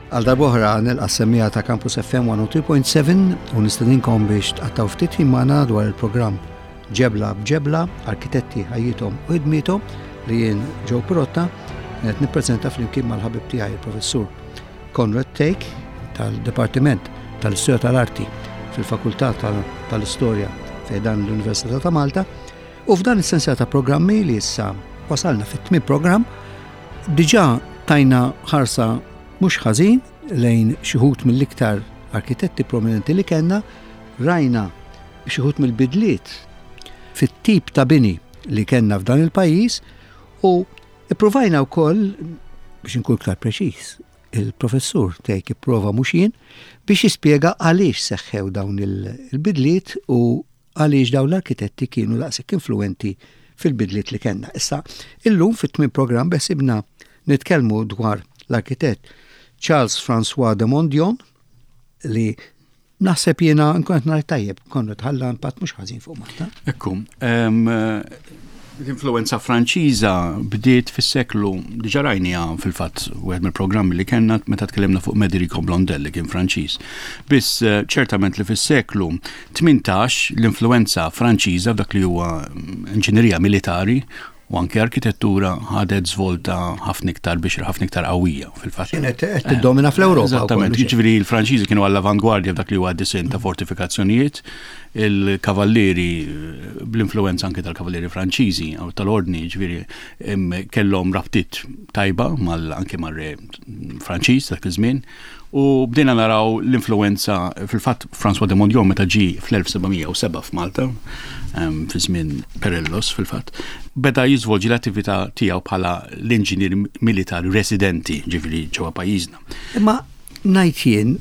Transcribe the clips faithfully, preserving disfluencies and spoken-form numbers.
Għal darb'oħra nilqa' s-semmiegħa ta' Campus F M one oh three point seven u nistedinkom biex tqattgħu ftit ħin magħna dwar il-programm Ġebla b'Ġebla, Arkitetti, Ħajjithom u Ħidmiethom, li jien, Joe Pirotta, qed nippreżenta flimkien mal-ħabib tiegħi, il-Professur Conrad Thake tal-Dipartiment tal-Istorja tal-Arti fil-Fakultà tal-Istorja fi ħdan l-Università ta' Malta. U f'dan is-sensiela ta' programmi li issa wasalna fit-tmien programm, diġà tajna ħarsa mhux ħażin lejn xi wħud mill-iktar arkitetti prominenti li kellna, rajna xi wħud mill-bidliet fit-tip ta' bini li kellna f'dan il-pajjiż u ippruvajna wkoll, biex inkun iktar preċiż, il-professur Thake ipprova, mhux jien, biex jispjega għaliex seħħew dawn il-bidliet u għaliex dawn l-arkitetti kienu daqshekk influenti fil-bidliet li kellna. Issa, illum fit-tmien programm beħsiebna nitkellmu dwar l-arkitett Charles François de Mondion, li naħseb jiena nkun qed ngħid tajjeb, konna tħalla impatt mhux ħażin fuq Malta. Ekku, l-influenza Franċiża bdiet fis-seklu, diġà rajniha fil-fatt wieħed mill-programmi li kellna meta tkellimna fuq Mederico Blondel, li kien Franċiż. Biss eh, ċertament li fis-seklu tmintax l-influenza Franċiża f'dak li huwa inġinerija militari u anke arkitettura ħadet żvolta ħafna iktar biex ħafna iktar qawwija fil-fatt. Kienet qed tiddomina fl-Ewropa. Eżattament, jiġifieri l-Franċiżi kienu għall-avangwardja f'dak li huwa disinn ta' fortifikazzjonijiet, il-kavallieri, bl-influenza anke tal-kavallieri Franċiżi u tal-ordni, jiġifieri kellhom rabtiet tajba mal anke mar-re Franċiż dak iż-żmien. U bdejna naraw l-influenza, fil-fatt François de Mondion meta ġi fl-elf seba' mija u sebgħa f'Malta, fi żmien Perellos fil-fatt, beda jiżvolġi l-attività tiegħu bħala l-inġinier militari residenti, ġifieri ġewwa pajjiżna. Imma ngħid jien,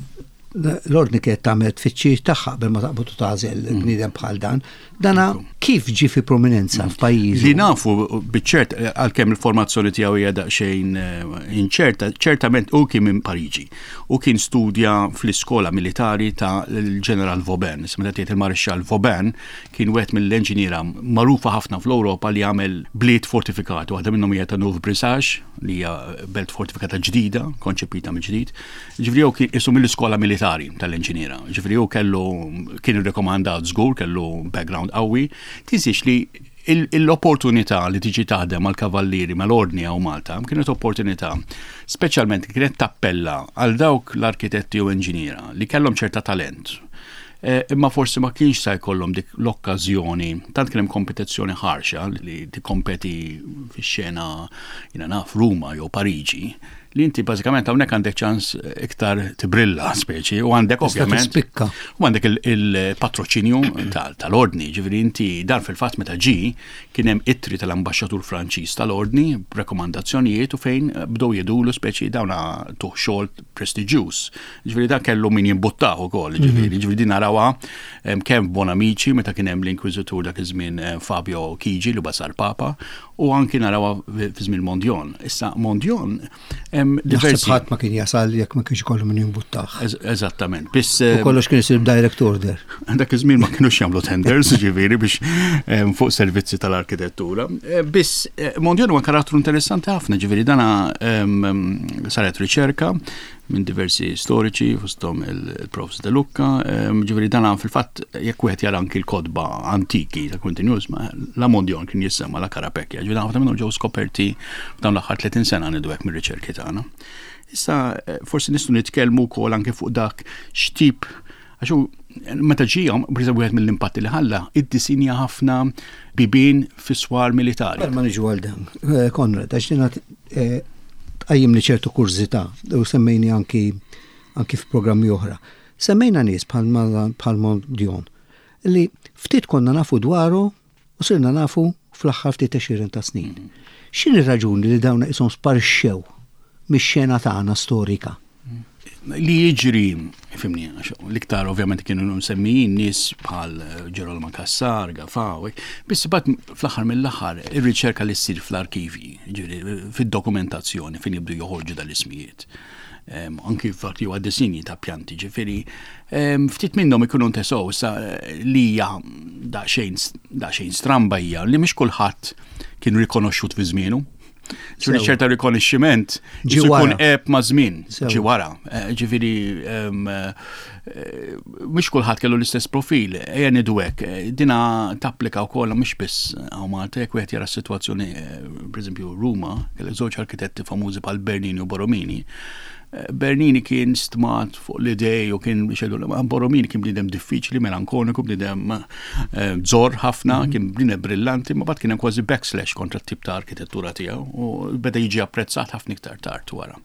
l-ordni kienet tagħmel tfittxija tagħha qabel ma taqbad u tagħżel mm. bniedem bħal dan. Dana kif ġi fi prominenza mm. f'pajjiż? Li nafu biċ-ċert, għalkemm il-formazzjoni tiegħu hija daqsxejn eh, inċerta, ċertament u kien minn Pariġi u kien studja fl-iskola militari ta' l-Ġeneral Vauban. Meta tgħid il-Marixxall Vauban kien wieħed mill-enġiniera magħrufa ħafna fl-Ewropa li għamel bliet fortifikati. Waħda minnhom hija ta' Neuf-Brisach, li hija belt fortifikata ġdida, konċepita mill-ġdid. Ġifieri hu kien isu mill-iskola militari tal-enġiniera. Ġifieri hu kellu, kien irrekomandat żgur, kellu background qawwi. Tinsiex li l-opportunità li tiġi taħdem mal kavallieri mal-ordni hawn Malta kienet opportunità speċjalment kienet tappella għal dawk l-arkitetti u enġiniera li kellhom ċerta talent. Eh, imma forsi ma kienx sa jkollhom dik l-okkażjoni, tant kien hemm kompetizzjoni ħarxa li tikkompeti fix-xena, jiena naf, Ruma jew Pariġi, li inti bażikament hawnhekk għandek ċans iktar tibrilla speċi u għandek ovvjament spikka. U għandek il-patroċinju tal-ordni, ġifieri inti dan fil-fatt meta ġi kien hemm ittri tal-ambaxxatur Franċiż tal-ordni, rekomandazzjonijiet u fejn bdew jgħidulu speċi dawna tuh xogħol prestiġjuż. Ġifieri dan kellu min jimbuttah ukoll, ġifieri mhm. ġifieri din narawha kemm Bonamici meta kien hemm l-inkwiżitur dak iż-żmien eh, Fabio Chigi, li sar Papa, u anki narawha fi żmien Mondion. Issa Mondion diversi. Ħadd ma kien jasal jekk ma kienx kollu min jimbuttah. Eżattament. Biss u kollox kien isir direct order. Dak iż-żmien ma kienux jagħmlu tenders, ġifieri, biex fuq servizzi tal-arkitettura. Eh, biss eh, Mondion huwa karattru interessanti ħafna, ġifieri dana saret riċerka minn diversi storiċi, fosthom il-Profs De Lucca, ġifieri dana fil-fatt jekk wieħed jara anki l-kotba antiki ta' Quintin ma la Mondion kien jissemma la Carapecchia, ġifieri ħafna minnhom ġew skoperti f'dawn l-aħħar tletin sena, ngħidu hekk, mir-riċerki tagħna. Issa eh, forsi nistgħu nitkellmu wkoll anke fuq dak x'tip, għax meta ġijom, per wieħed mill-impatti li ħalla, iddisinja ħafna bibien fi swar militari. Ma niġu għal dan, eh, Konrad, għax dina eh, tqajjimli ċertu kurżità u semmejni anki anki f'programmi oħra. Semmejna nies bħal Mondion li ftit konna nafu dwaru u sirna nafu fl-aħħar ftit għexieren ta' snin. X'inhi raġuni li dawn isom sparixxew mix-xena tagħna storika? Li jiġri, fhimni, l-iktar ovvjament kienu msemmijin nies bħal Ġerolma Cassar, Gafà, biss bat fl-aħħar mill-aħħar ir-riċerka li ssir fl-arkivi, fid-dokumentazzjoni fejn jibdu joħorġu dal-ismijiet. Anki fatti huwa disinji ta' pjanti, ġifieri ftit minnhom ikunu ntesow sa li hija daqsxejn stramba hija li mhix kulħadd kien rikonoxxut fi żmienu. Ġifieri ċerta rikonoxximent jkun eb ma' żmien, ġi wara. Eh, ġifieri eh, mhux kulħadd kellu l-istess profil, ejja ngħidu hekk, eh, dina tapplika wkoll mhux biss hawn Malta, jekk wieħed jara s-sitwazzjoni, pereżempju Ruma, kellek żewġ arkitetti famużi bħal Bernini u Borromini. Bernini kien stmat fuq l-idej u kien xedu, Borromini kien bniedem diffiċli, melankoniku, bniedem żor ħafna, mm. kien bniedem brillanti, ma bat kien hemm kważi backslash kontra t-tip ta' arkitettura tiegħu u beda jiġi apprezzat ħafna iktar tard wara.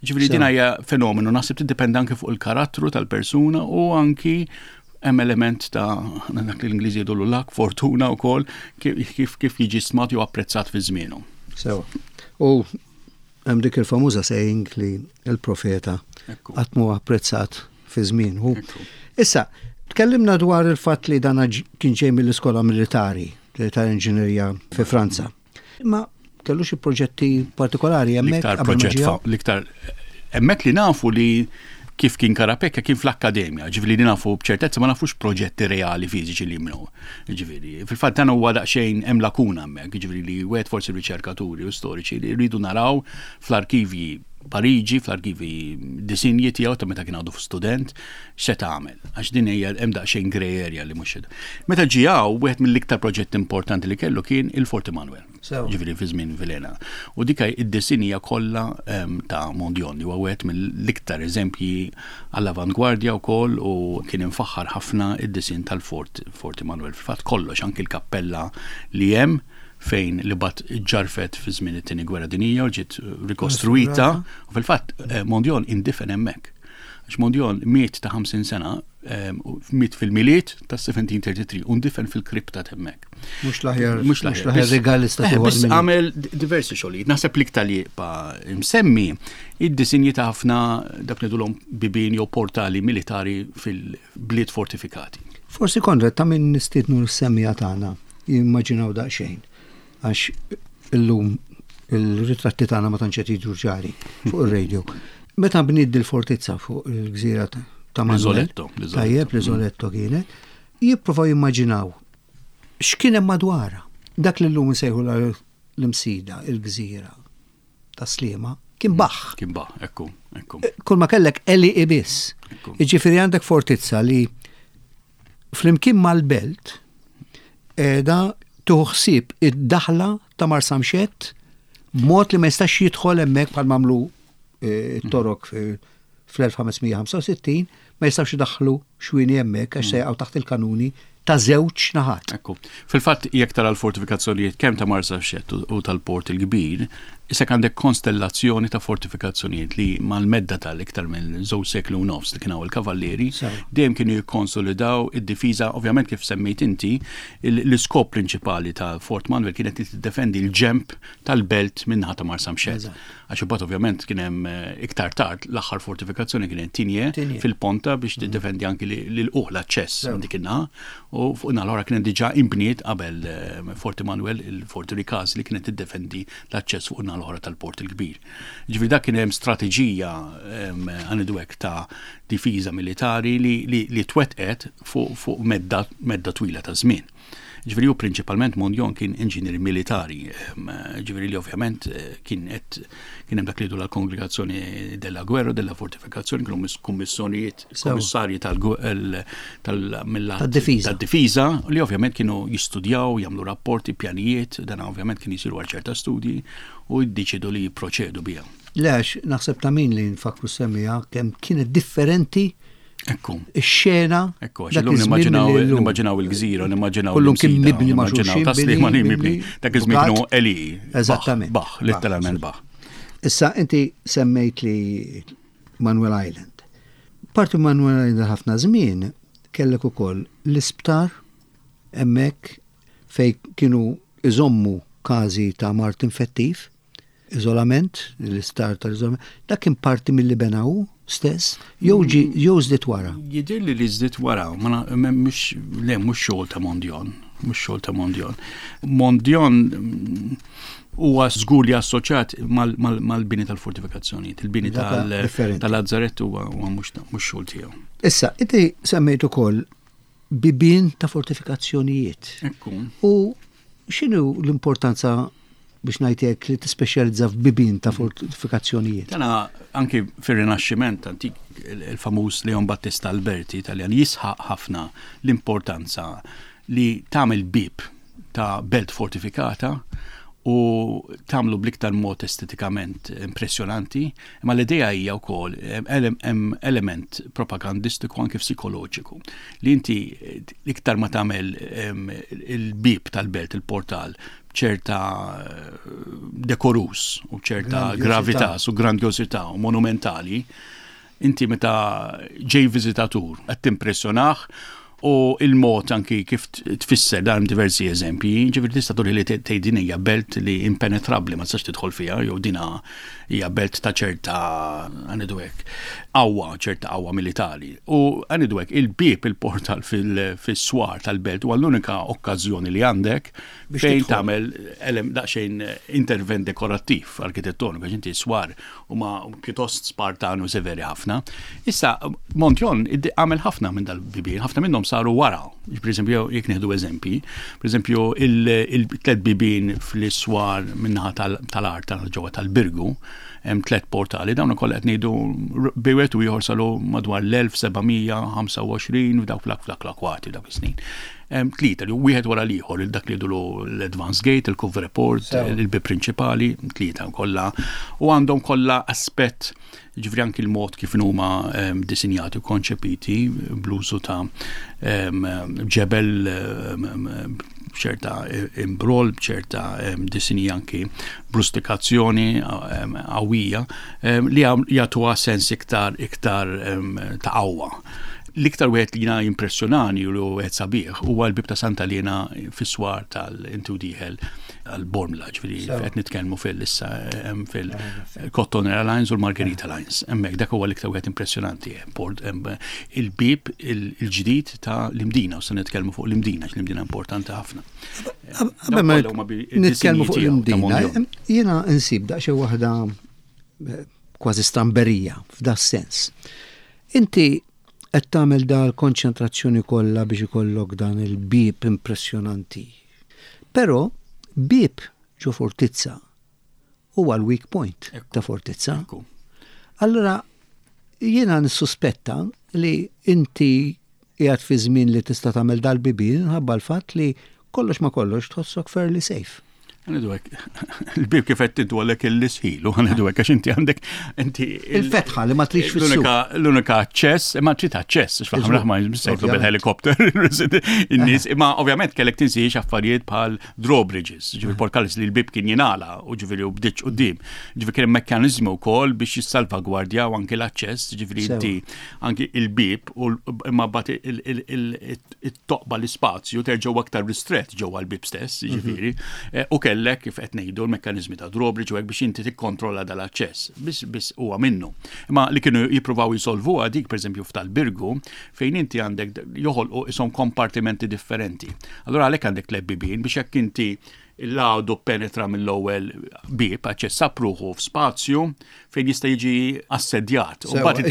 Ġifieri din hija fenomenu, naħseb tiddependi anke fuq il-karattru tal-persuna u anki hemm element ta' dak li l-Ingliżi jgħidulu luck, fortuna wkoll, kif kif jiġi stmat jew apprezzat fi żmienu. Sewa. U hemm dik il-famuża saying li il-profeta qatt mhu apprezzat fi żmienu. Issa, tkellimna dwar il-fatt li dan kien ġej mill-iskola militari tal-inġinerija fi Franza. Ma kellu xi proġetti partikolari hemmhekk? L-iktar proġett, l-iktar hemmhekk li nafu li kif kien Carapecchia kien fl-akkademja, ġifieri li nafu b'ċertezza, ma nafux proġetti reali fiżiċi li jimnu. Ġifieri, fil-fatt dan huwa daqsxejn hemm lakuna hemmhekk, ġifieri li wieħed forsi riċerkaturi u storiċi li rridu naraw fl-arkivji Pariġi, fl-arkivi disinji tiegħu ta' meta kien għadu student, x'se tagħmel. Għax din hija hemm daqsxejn grey area li mhux. Meta ġie hawn, wieħed mill-iktar proġetti importanti li kellu kien il-Fort Emanuel. Ġifieri fi żmien Vilhena. U dik id-disinja kollha ta' Mondion, li huwa wieħed mill-iktar eżempji għall-avangwardja wkoll u kien infaħħar ħafna id-disin tal-Fort Fort Emanuel. Fil-fatt kollox, anki l-kappella li hemm fejn li bat ġarfet fi żmien it-Tieni Gwerra Dinjija u ġiet rikostruita, u fil-fatt Mondion indifen hemmhekk. Għax Mondion miet ta' ħamsin sena, miet fil-Milied ta' seventeen thirty-three, u ndifen fil-kripta hemmhekk. Mhux l-aħjar, mhux l-aħjar regalista. Eh, biss għamel diversi xogħlijiet. Naħseb l-iktar li pa msemmi id-disinji ta' ħafna dak ngħidulhom bibien jew portali militari fil-bliet fortifikati. Forsi, Konrad, ta' min nistiednu l-semmiegħa tagħna jimmaġinaw daqsxejn. Għax illum il-ritratti tagħna ma tantx qed jidhru ċari fuq ir-radio. Meta bniet il-fortizza fuq il-gżira ta' Manuel. L-Isoletto. Tajjeb, l-Isoletto kienet. Jipprovaw jimmaġinaw x'kien hemm madwarha. Dak li llum insejħu l-Imsida, il-gżira ta' Sliema, kien baħ. Kien baħ, ekku, ekku. Kull ma kellek għelieqi biss. Jiġifieri għandek fortizza li flimkien mal-belt da tuħsib id-daħla ta' Marsamxett b'mod li ma jistax jidħol hemmhekk bħal mamlu t-Torok fl-elf ħames mija ħamsa u sittin, ma jistax idaħħlu xwini hemmhekk għax se jaqgħu taħt il-kanuni ta' żewġ naħat. Ekku. Fil-fatt, jekk tara l-fortifikazzjonijiet kemm ta' Marsamxett u tal-Port il-Kbir, issa għandek konstellazzjoni ta' fortifikazzjonijiet li mal-medda tal-iktar minn żewġ seklu u nofs li kienu il-kavallieri, dejjem kienu jikkonsolidaw id-difiża. Ovvjament, kif semmejt inti, l-iskop prinċipali ta' Fort Manuel kienet li tiddefendi l-ġemp tal-belt min-naħa ta' Marsamxett. Għax imbagħad ovvjament kien hemm eh, iktar tard l-aħħar fortifikazzjoni kienet Tigné fil-ponta biex tiddefendi anki l-uħ l-aċċess dik in-naħa, u fuq l-oħra kienet diġà imbniet qabel eh, Fort Emanuel il-Fort Ricasoli li kienet tiddefendi l-aċċess fuq l-oħra tal-Port il-Kbir. Ġifieri dak kien hemm strateġija għanidu hekk ta' difiża militari li, li, li twettqet fuq fu medda, medda twila ta' żmien. Ġifieri hu prinċipalment Mondion kien inġinier militari, ġifieri li ovvjament eh, kien qed kien hemm dak li la kongregazzjoni della guerra, della fortifikazzjoni, kienu kummissjonijiet, kummissarji tal-difiża li ovvjament kienu jistudjaw, jagħmlu rapporti, pjanijiet, dan ovvjament kien jisiru għal ċerta studji u jiddeċidu li jipproċedu biha. Lex, naħseb ta' min li nfakru semmiha kemm kienet differenti Ekku. Ix-xena. Ekku, għax illum nimmaġinaw il-gżira, nimmaġinaw. Kullum kien mibni ma' xulxin. Taslima li mibni. Dak iż-żmien kienu għelieqi. Eżattament. Baħ, letteralment baħ. Issa inti semmejt li Manuel Island. Parti Manuel Island ħafna żmien kellek ukoll l-isptar hemmhekk fej kienu iżommu każi ta' mard infettiv, iżolament, l-isptar tal-iżolament, dak kien parti mill-li benaw stess, jew ġi jew żdiet wara? Jidher li li żdiet wara, ma mhux le mhux xogħol ta' Mondion, mhux xogħol ta' Mondion. Mondion mm, huwa żgur li assoċjat mal-bini tal-fortifikazzjonijiet, il-bini tal-Lazzaretto huwa mhux xogħol tiegħu. Issa, inti semmejt ukoll bibien ta' fortifikazzjonijiet. Ekku. U x'inhu l-importanza biex ngħidlek li tispeċjalizza f'bibien ta' fortifikazzjonijiet. Tana anki fir-Rinaxximent antik, il-famuż Leon Battista Alberti Italjan jisħaq ħafna l-importanza li tagħmel bib ta' belt fortifikata u tagħmlu bl-iktar mod estetikament impressjonanti, imma l-idea hija wkoll hemm element propagandistiku, anke psikoloġiku, li inti l-iktar ma tagħmel il-bib tal-belt, il-portal, ċerta dekorus u ċerta gravitas u grandjosità u monumentali, inti meta ġej viżitatur qed timpressjonah. U il-mod anki kif tfisser dan, diversi eżempji, ġifieri tista' turi li tgħid din hija belt li impenetrabbli, ma tistax tidħol fiha, jew dina hija belt ta' ċerta, ngħidu hekk, qawwa, ċerta qawwa militari. U ngħidu hekk, il-bieb, il-portal fis-swar tal-belt huwa l-unika okkażjoni li għandek fejn tagħmel daqsxejn intervent dekorattiv arkitettoniku, għax inti swar huma pjuttost spartani u severi ħafna. Issa Montyon għamel ħafna minn dal-bibien, ħafna minnhom saru wara. Per eżempju, jekk nieħdu eżempji, per eżempju, il-tlet bibien fl-iswar minnaħa tal-art tal-ġewwa tal-Birgu, hemm tlet portali, dawn ukoll qed ngħidu bejn wieħed u ieħor saru madwar l-elf seba' mija ħamsa u għoxrin, f'dawk flak flak l-akwati dawk is-snin. Tlieta li wieħed wara l-ieħor, dak li jgħidulu l-advance gate, il-couvre-porte, il-bib prinċipali, tlieta kollha u għandhom kollha aspett, ġifieri anki l-mod kif huma disinjati u konċepiti bl-użu ta' ġebel, ċerta imbrol, ċerta disini, anki brustikazzjoni qawwija li jagħtuha sens iktar iktar ta' qawwa. L-iktar wieħed li jiena impressjonani u li wieħed sabiħ huwa l-bib ta' Santa Lena fis-swar tal-intu dieħel għal-Bormla, ġifieri qed nitkellmu fil-issa fil-Cotton Airlines u l-Margherita Lines. Hemmhekk dak huwa l-iktar wieħed impressjonanti. Il-bib il-ġdid ta' l-Imdina, u se nitkellmu fuq l-Imdina, l-Imdina importanti ħafna. Nitkellmu fuq l-Imdina, jiena nsib daqsxejn waħda eh, kważi stramberija f'da sens. Inti qed tagħmel dal konċentrazzjoni kollha biex ikollok dan il-bib impressjonanti. Però bib ġo fortizza huwa l-weak point ta' fortizza. Allora jiena nissuspetta li inti qiegħed fi żmien li tista' tagħmel dal-bibien ħabba l-fatt li kollox ma kollox tħossok fairly safe. Ngħidu hekk, il-bib kif qed tiddu għalek il-lisħilu, ngħidu hekk, għax inti għandek inti Il-fetħa li ma trix fis L-unika aċċess, imma trid aċċess, x'faħam ma jistgħu bil-helikopter in-nies, imma ovvjament kellek tinsiex affarijiet bħal drawbridges, ġifieri portcullis li l-bib kien jingħala u ġifieri u bdiċ quddiem. Ġifieri kien mekkaniżmu wkoll biex jissalvagwardja u anki l-aċċess, ġifieri inti anki il-bib u imma bat it-toqba, l-ispazju terġgħu aktar ristret ġewwa l-bib stess, ġifieri, eh, u kellek, kif qed ngħidu, l-mekkaniżmi ta' drawbridge u hekk biex inti tikkontrolla dal-aċċess. Biss biss huwa minnu. Imma li kienu jippruvaw jisolvuha dik, pereżempju f'tal-Birgu, fejn inti għandek joħolqu ishom kompartimenti differenti. Allura għalhekk għandek tliet bibien biex jekk inti l-għadu penetra mill-ewwel bib, aċċessa ruħu f'spazju fejn jista' jiġi assedjat. U mbagħad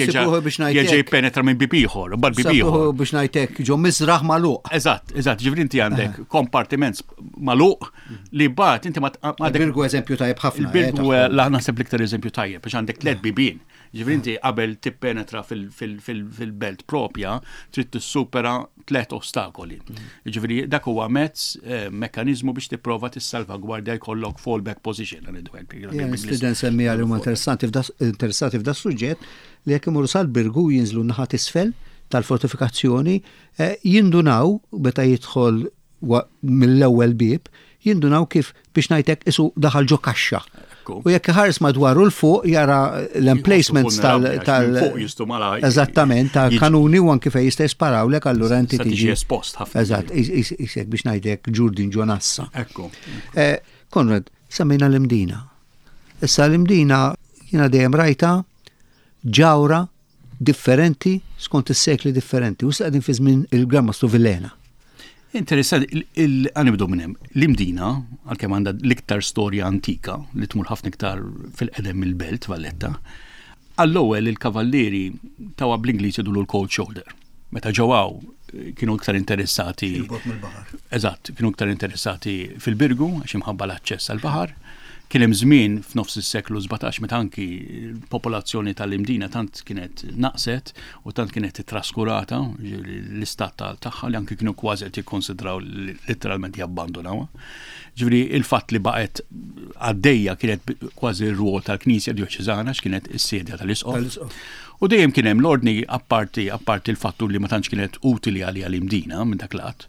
jerġa' jippenetra minn bib ieħor, u mbagħad bib ieħor. Biex ngħidlek ġo misraħ magħluq. Eżatt, eżatt, ġifieri inti għandek kompartiment magħluq li mbagħad inti ma Il-Birgu eżempju tajjeb ħafna. Il-Birgu la naħseb l-iktar eżempju tajjeb biex għandek tliet bibien. Ġifieri inti qabel tippenetra fil-belt propja trid tissupera tliet ostakoli. Ġifieri dak huwa mezz, eh, mekkaniżmu biex tipprova tissalvagwardja, jkollok fallback position. Student semmi għal huma interessanti interessati f'da suġġett li jekk imorru sal-Birgu, jinżlu naħa t'isfel tal-fortifikazzjoni, eh, jindunaw meta jidħol mill-ewwel bib, jindunaw kif, biex ngħidlek, isu daħal ġo kaxxa. U jekk ħares madwaru 'l fuq jara l-emplacements tal- tal Fuq jistu mala. Eżattament, ta' kanuni u anki fejn jista' jisparawlek, allura inti tiġi espost ħafna. Eżatt, isek biex ngħidlek ġurdin ġo nassa. Ekku. Eh, Konrad, semmejna l-Imdina. Issa l-Imdina jiena dejjem rajta ġawra differenti skont is-sekli differenti. U qegħdin fi żmien il-Gran Mastru Villena. Interessanti, ħa nibdew minn hemm. L-Imdina, għalkemm għandha l-iktar storja antika li tmur ħafna iktar fil-qedem mill-Belt Valletta, għall-ewwel il-kavallieri tawha, bl-Ingliż jgħidulu l-cold shoulder. Meta ġewaw kienu iktar interessati. Mill-baħar. Eżatt, kienu iktar interessati fil-Birgu, għax imħabba l-aċċess għal-baħar. Kien hemm żmien f'nofs is-seklu sbatax meta anki l-popolazzjoni tal-Imdina tant kienet naqset u tant kienet traskurata l-istat tagħha li anki kienu kważi qed jikkonsidraw letteralment jabbandunawha. Ġifieri il-fatt li baqgħet għaddejja kienet kważi r-rwol tal-Knisja Djoċeżana, x'kienet is-sedja tal-Isqof. U dejjem kien hemm l-ordni, apparti apparti il-fattu li ma tantx kienet utili għalija l-Imdina minn dak lat.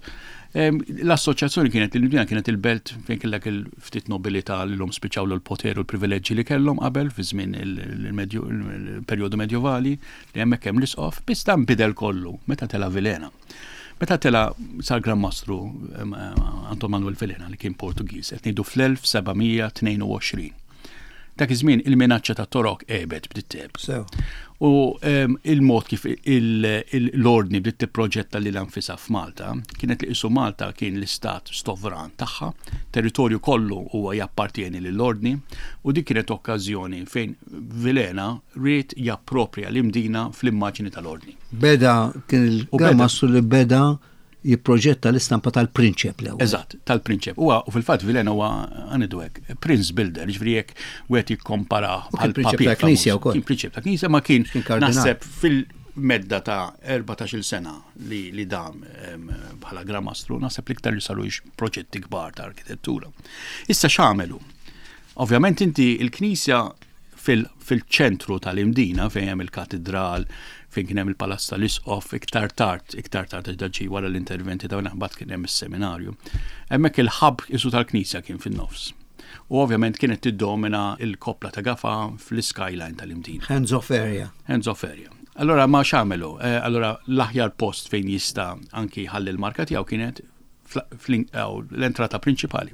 L-assoċjazzjoni kienet l-Imdina kienet il-belt fejn kellek il-ftit nobilità li l-lum spiċċaw l-poter u l-privileġġi li kellhom qabel fi żmien il-perjodu medjovali li hemmhekk hemm l-isqof, biss dan bidel kollu meta tela Vilhena. Meta tela sar Gran Mastru Anton Manuel Vilhena, li kien Portugiż, qed ngħidu fl-elf seba' mija tnejn u għoxrin. Dak iż-żmien il-minaċċa ta' Torok għebet, bdiet tgħib. U il-mod kif l-ordni bdiet tipproġetta lilha nfisha f'Malta kienet li qisu Malta kien l-istat sovran tagħha, territorju kollu huwa jappartieni lill-ordni, u dik kienet okkażjoni fejn Vilhena ried japproprja l-Imdina fl-immaġni tal-ordni. Beda kien il-Gran Mastru li beda jipproġetta l-istampa tal-prinċep l Eżatt, tal-prinċep. Huwa u fil-fatt Vilhena huwa, għanidu hekk, prince builder, ġifieri jekk wieħed jikkompara bħal prinċep ta' knisja wkoll. Kien prinċep ta' knisja, ma kien naħseb fil-medda ta' erbatax-il sena li, li dam bħala Gran Mastru, naħseb l-iktar li saru proġetti kbar ta' arkitettura. Issa x'għamelu? Ovvjament inti il-knisja fil-ċentru tal-Imdina fejn hemm il-katedral, fejn kien hemm il-Palazz tal-Isqof, iktar tard, iktar tard ġi wara l-interventi ta' mbagħad kien hemm is-seminarju. Hemmhekk il-hub isu tal-knisja kien fin-nofs. U ovvjament kienet tiddomina il-koppla ta' Gafa fl-skyline tal-Imdina. Hands off area. Hands off area. Allora ma x'għamelu? Eh, allora l-aħjar post fejn jista' anki ħalli l-marka tiegħu kienet l-entrata prinċipali.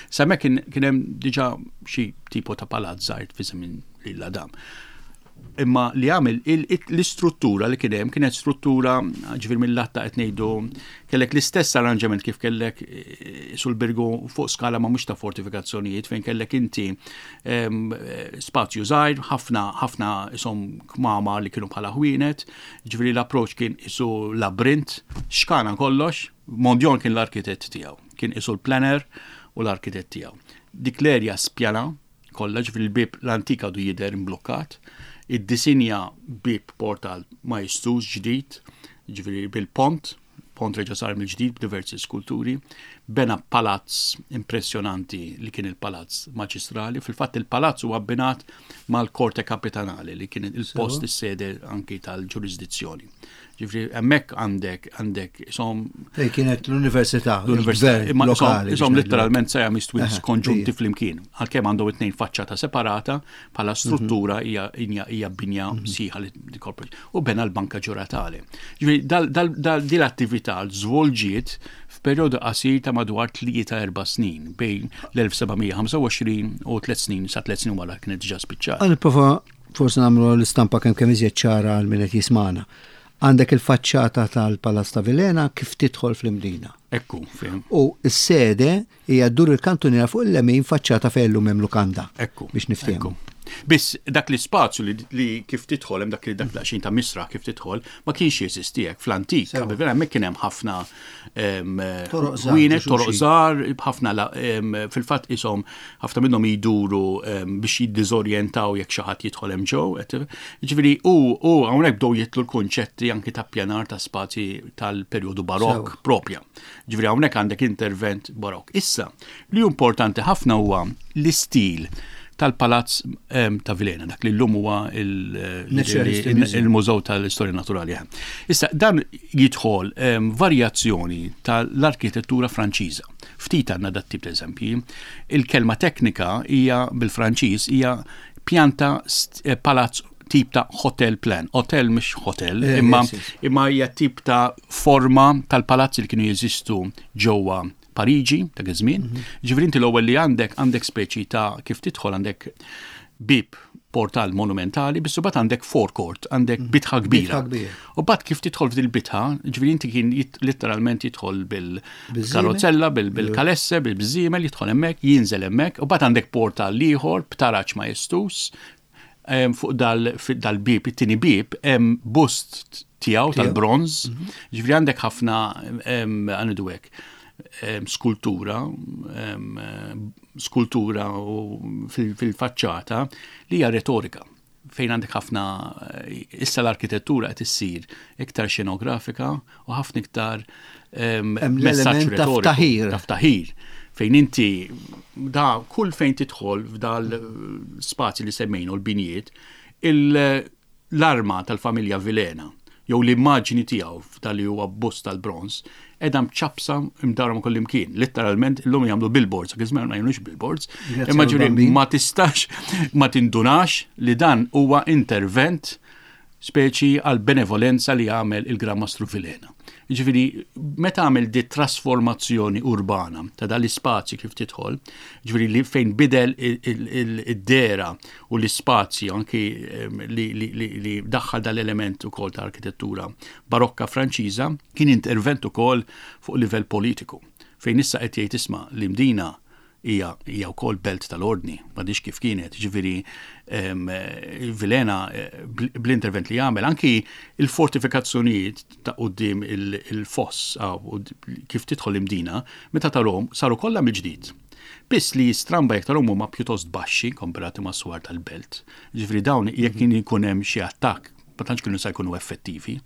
Sa kien hemm diġà xi tipo ta' palazz żgħir fi żmien lil Adam. Imma li għamel l-istruttura li kien hemm kienet struttura, ġifier mill-latta qed ngħidu, kellek l-istess arranġament kif kellek eh, sul-Birgu fuq skala ma mhux ta' fortifikazzjonijiet, fejn kellek inti spazju żgħir, ħafna ħafna isom kmama li kienu bħala ħwienet, ġifieri l-approach kien isu labrint, xkana kollox. Mondion kien l-arkitett tiegħu, kien isu l-planner u l-arkitett tiegħu. Dik l-erja spjana kollha, ġifieri l-bib l-antika du jidher imblokkat, id-disinja bib portal majestuż ġdid, ġifieri bil-pont, pont reġa sar mill-ġdid b'diversi skulturi, bena palazz impressjonanti li kien il-palazz maġistrali. Fil-fatt il-palazz huwa abbinat mal-Korte Kapitanali li kien il-post, is-sede anki tal-ġurisdizzjoni. Ġifieri hemmhekk għandek għandek isom Kienet l-università. L-università, imma isom letteralment Siamese twins konġunti flimkien. Għalkemm għandhom it-tnejn faċċata separata, bħala struttura hija hija binja mhm. sħiħa li U bena l-Banka Ġuratali. Ġifieri din l-attività żvolġiet f'perjodu qasir ta' madwar tlieta erba' snin, bejn l-elf seba' mija ħamsa u għoxrin u tliet snin sa tliet snin wara kienet diġà spiċċat. Ħa nipprova forsi nagħmlu l-istampa kemm kemm iżjed ċara għal min qed jismana. Għandek il-faċċata tal-Palazz ta' Vilhena kif tidħol fl-Imdina. Ekku, fim. U s-sede hija ddur il-kantuniera fuq il-lemin, faċċata fejn illum hemm lukanda. Ekku. Biex niftehmu. Biss dak l-ispazju li, li kif tidħol hemm dak li dak daqsxejn ta' misra kif tidħol ma kienx jeżisti hekk fl-antik. Qabel vera hemmhekk kien hemm ħafna ħwienet, toroq żgħar, ħafna, fil-fatt ishom ħafna minnhom jduru biex jiddiżorjentaw jekk xi ħadd jidħol hemm ġew. Ġifieri u u hawnhekk bdew jidħlu l-kunċetti anki ta' pjanar ta' spazji tal-perjodu barokk propja. Ġifieri hawnhekk għandek intervent barokk. Issa, li importanti ħafna huwa l-istil tal-Palazz ta' Vilhena, dak li l-lum huwa il-Mużew tal-Istorja Naturali. Issa, dan jidħol varjazzjoni tal-arkitettura Franċiża. Ftit għandna dat tip ta' eżempji. Il-kelma teknika hija bil-Franċiż hija pjanta eh, palazz tip ta' hotel plan. Hotel mhux hotel, eh, imma imma hija tip ta' forma tal-palazzi li kienu jeżistu ġewwa Pariġi ta' żmien. Mhm. Ġifieri inti l-ewwel li għandek għandek speċi ta' kif tidħol għandek bib portal monumentali, biss bat għandek forecourt, għandek mhm. bitħa kbira. U bat kif tidħol f'dil bitħa, ġifieri inti kien letteralment jidħol bil-karozzella, bil-kalesse, bil-bżiemel, jidħol hemmhekk, jinżel hemmhekk, u bat għandek portal ieħor b'taraġ majestuż, fuq dal-bib, it-tieni bib, hemm bust tiegħu tal-bronz, mhm. ġifieri għandek ħafna, għandu hekk skultura, skultura fil-faċċata li hija retorika, fejn għandek ħafna, issa l-arkitettura qed issir iktar xenografika u ħafna iktar messaġġ retoriku. Ta' ftaħir. Fejn inti da kull fejn tidħol f'dal spazji li semmejnu l-binjiet, l-arma tal-familja Vilhena jew l-immaġni tiegħu f'dal li huwa bust tal-bronż qiegħda mċappsa imdawra ma' kullimkien. Literalment illum jagħmlu billboards, għax żmien ma jagħmlux billboards. Imma ġifieri ma tistax ma tindunax li dan huwa intervent speċi għal benevolenza li għamel il-Gran Mastru Vilhena. Ġifieri, meta għamel di trasformazzjoni urbana ta' dal-ispazji kif tidħol, ġifieri li fejn bidel id-dehra u l-ispazji anki li, li, li, li daħħal dal-element ukoll ta' arkitettura barokka Franċiża, kien intervent ukoll fuq livell politiku. Fejn issa qed jgħid, isma', l-Imdina hija hija wkoll belt tal-ordni, m'għadhiex kif kienet, ġifieri Vilhena bl-intervent li jagħmel, anki il-fortifikazzjonijiet ta' quddiem il-foss kif tidħol Imdina, meta tarahom saru kollha mill-ġdid. Biss li stramba jekk tarahom huma pjuttost baxxi komparati ma' swar tal-belt. Ġifieri dawn jekk kien ikun hemm xi attakk, ma tantx kienu se jkunu effettivi.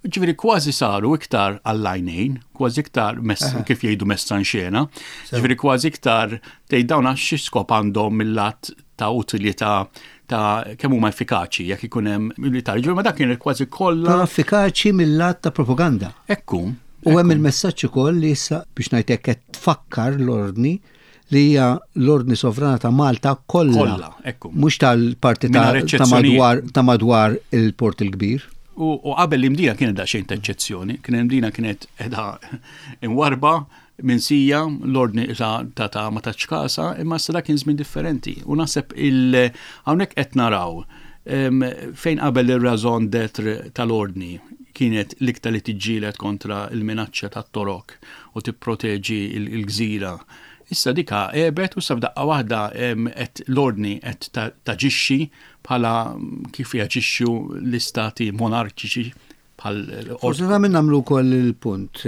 Ġifieri kważi saru iktar għall-għajnejn, kważi iktar kif jgħidu messa in xena, ġifieri kważi iktar tgħid dawn għax xi skop għandhom mill-lat ta' utilità ta' kemm huma effikaċi jekk ikun hemm militari. Ġifieri ma dak kien kważi kollha. Però effikaċi mill-lat ta' propaganda. Ekku. U hemm il-messaġġ ukoll li issa biex ngħidlek qed tfakkar l-ordni li hija l-Ordni Sovrana ta' Malta kollha. Kollha, ekku. Mhux tal-parti ta' madwar ta' madwar il-Port il-Kbir. U qabel l-Imdina kienet daqsxejn ta' eċċezzjoni, kien l-Imdina kienet qiegħda imwarba minsija, l-ordni ta' ta' ma tatx kasha, imma issa dak kien żmien differenti. U naħseb il hawnhekk qed naraw fejn qabel ir-raison d'être tal-ordni kienet l-iktar li tiġġieled kontra il-minaċċa tat-Torok u tipproteġi il-gżira. Issa dika għebet u sa f'daqqa waħda qed l-ordni qed taġixxi bħala kif jaġixxu l-istati monarkiċi bħal. Forsi ta' minn nagħmlu wkoll il-punt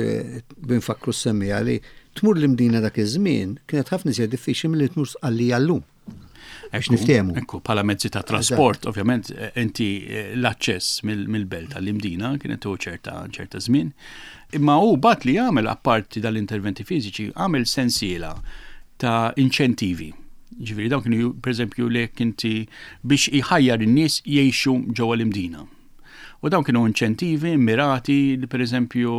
binfakru s-semmija li tmur l-Imdina dak iż-żmien kienet ħafna iżjed diffiċli milli tmur Sqallija llum. Biex niftehmu. Ekku, bħala mezzi ta' trasport, ovvjament, inti l-aċċess mill-belt tal-Imdina kienet ċerta ċerta żmien. Imma hu bat li jagħmel, apparti dal-interventi fiżiċi, għamel sensiela ta' inċentivi. Ġifieri dawn kienu, pereżempju, li inti biex iħajjar in-nies jgħixu ġewwa l-Imdina. U dawn kienu inċentivi mirati li, pereżempju,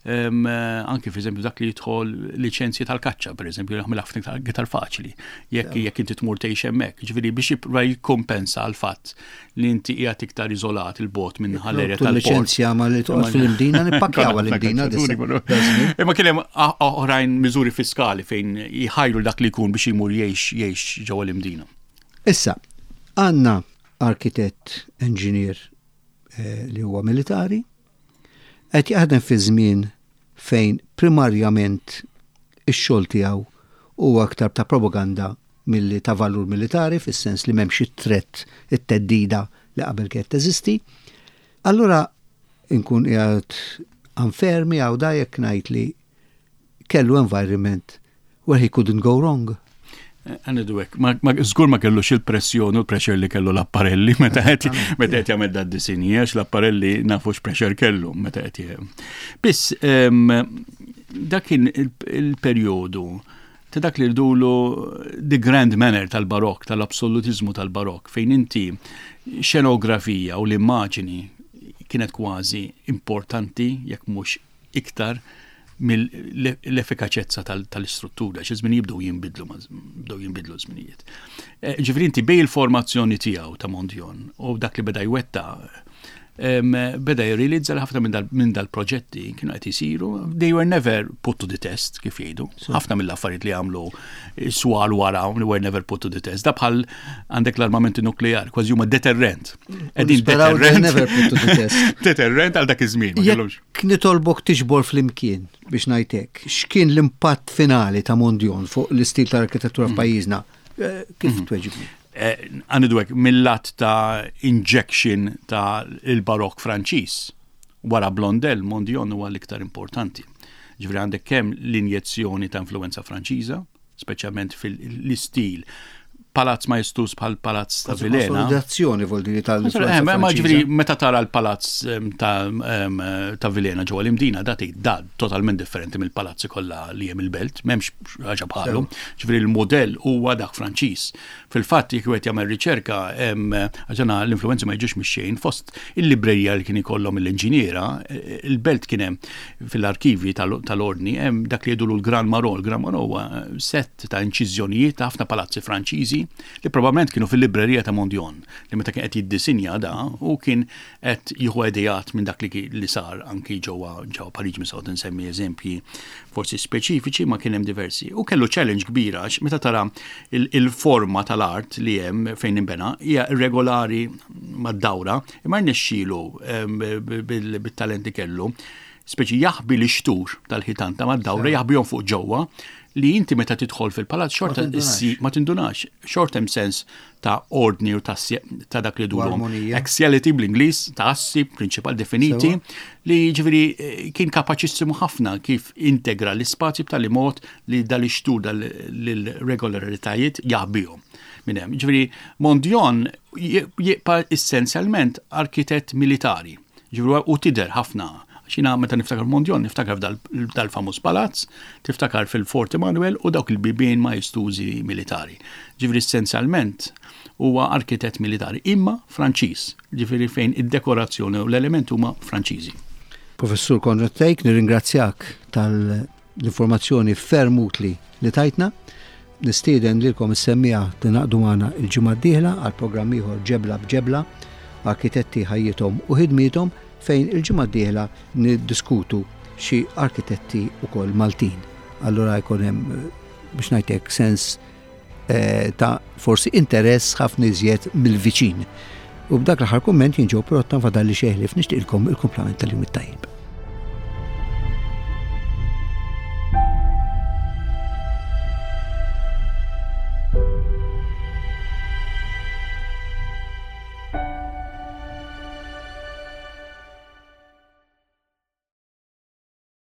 anki per eżempju dak li jidħol liċenzji tal-kaċċa, per eżempju, jagħmel ħafna iktar faċli jekk jekk inti tmur tgħix hemmhekk. Ġifieri biex jipprova jikkompensa għal fatt li inti qiegħed iktar iżolat il-bot minn ħall-erja tal-port. Liċenzja ma li toqgħod fil-Imdina, nippakkjaw l-Imdina. Imma kien hemm oħrajn, miżuri fiskali fejn jħajru dak li jkun biex jmur jgħix jgħix ġewwa l-Imdina. Issa, għandna arkitett, engineer eh, li huwa militari, qed jaħdem fi żmien fejn primarjament ix-xogħol tiegħu huwa aktar ta' propaganda milli ta' valur militari, fis-sens li m'hemmx it-threat, it-theddida li qabel kienet teżisti. Allura inkun qiegħed anfermi għaw da jekk ngħid li kellu environment where he couldn't go wrong? Għanidu hekk, żgur ma kellux il-pressjoni u l-pressure li kellu Laparelli meta qed meta qed jagħmel dad disinji, għax Laparelli nafu x'pressure kellu meta qed. Biss dak kien il-perjodu ta' dak li rdulu the grand manner tal-barok, tal-absolutizmu tal-barok, fejn inti xenografija u l-immaġini kienet kważi importanti, jekk mhux iktar mill-effikaċezza tal-istruttura, xi żmien jibdew jinbidlu, bdew jinbidlu żminijiet. Eh, ġifieri inti bej il-formazzjoni tiegħu ta' Mondion u dak li beda jwetta, beda jirrealizza li ħafna minn dal-proġetti kienu qed isiru, they were never put to the test, kif jgħidu. Ħafna mill-affarijiet li għamlu swar wara were never put to the test. Da bħal għandek l-armamenti nukleari, kważi huma deterrent. Qegħdin deterrent. Never put to the test. Deterrent għal dak iż-żmien. Jekk nitolbok tiġbor flimkien biex ngħidlek, x'kien l-impatt finali ta' Mondion fuq l-istil tal-arkitettura f'pajjiżna? Eh, kif mhm. tweġibni? Għanidu hekk, mill-lat ta' injection ta' il-barok Franċiż, wara Blondel, Mondion huwa l-iktar importanti. Ġifieri għandek kemm l-injezzjoni ta' influenza Franċiża, speċjalment fil-istil palazz majestuż bħal palazz ta' Vilhena. Konsolidazzjoni vuol dire tal-influenza Eh, Ma ma Franċiża. ġifieri meta tara l-palazz em, ta' em, ta' Vilhena ġewwa l-Imdina dati da totalment differenti mill-palazzi kollha li hemm il-belt, m'hemmx ħaġa bħalu. Ġifieri l-modell huwa dak Franċiż. Fil-fatt jekk wieħed jagħmel riċerka em, għax l-influenzi ma jiġux mix-xejn fost il-librerija li kien ikollhom l-inġiniera, eh, il-belt kien hemm fil-arkivi tal- tal-ordni hemm dak li jgħidulu l-Gran Marron. Il-Gran Marron huwa set ta' inċiżjonijiet ta' ħafna palazzi Franċiżi li probabbilment kienu fil-librerija ta' Mondion li meta kien qed jiddisinja da u kien qed jieħu ideat minn dak li, ki- li sar anki ġewwa ġewwa Pariġi minn nsemmi eżempji forsi speċifiċi ma kien hemm diversi. U kellu challenge kbira għax meta tara il- il-forma tal-art li hemm fejn imbena hija irregolari mad-dawra imma rnexxielu em, bil- bit-talent li kellu speċi jaħbi l-ixtur tal-ħitan ta' mad-dawra jaħbihom fuq ġewwa li inti meta tidħol fil-palazz xorta Ma tindunax. issi ma tindunax. Xorta hemm sens ta' ordni u ta' sie- ta' dak li dulhom. armonija. Axiality bl-Ingliż ta' assi prinċipal definiti Sewa. li ġifieri eh, kien kapaċissimu ħafna kif integra l-ispazji b'tali mod li dal-ixtur dal-regolaritajiet jaħbihom. Minn hemm. Ġifieri Mondion jibqa' essenzjalment arkitett militari. Ġifieri u tidher ħafna Xina meta niftakar Mondion, niftakar f'dal-famuż palazz, tiftakar fil-Fort Emanuel u dawk il-bibien majestużi militari. Ġifieri essenzjalment huwa arkitett militari, imma Franċiż, ġifieri fejn id-dekorazzjoni u l-element huma Franċiżi. Professur Konrad Thake, nirringrazzjak tal-informazzjoni ferm utli li tajtna. Nistieden lilkom is-semmiegħa tingħaqdu magħna il-ġimgħa d-dieħla għal programm ieħor Ġebla b'Ġebla, arkitetti ħajjithom u ħidmiethom fejn il-ġimgħa d-dieħla niddiskutu xi arkitetti ukoll Maltin. Allura jkun hemm eh, biex ngħidlek sens eh, ta' forsi interess ħafna iżjed mill-viċin. U b'dak l-aħħar kumment jien Joe Pirotta fadalli xeħlif nixtieqilkom il-kumplament tal-jum it-tajjeb.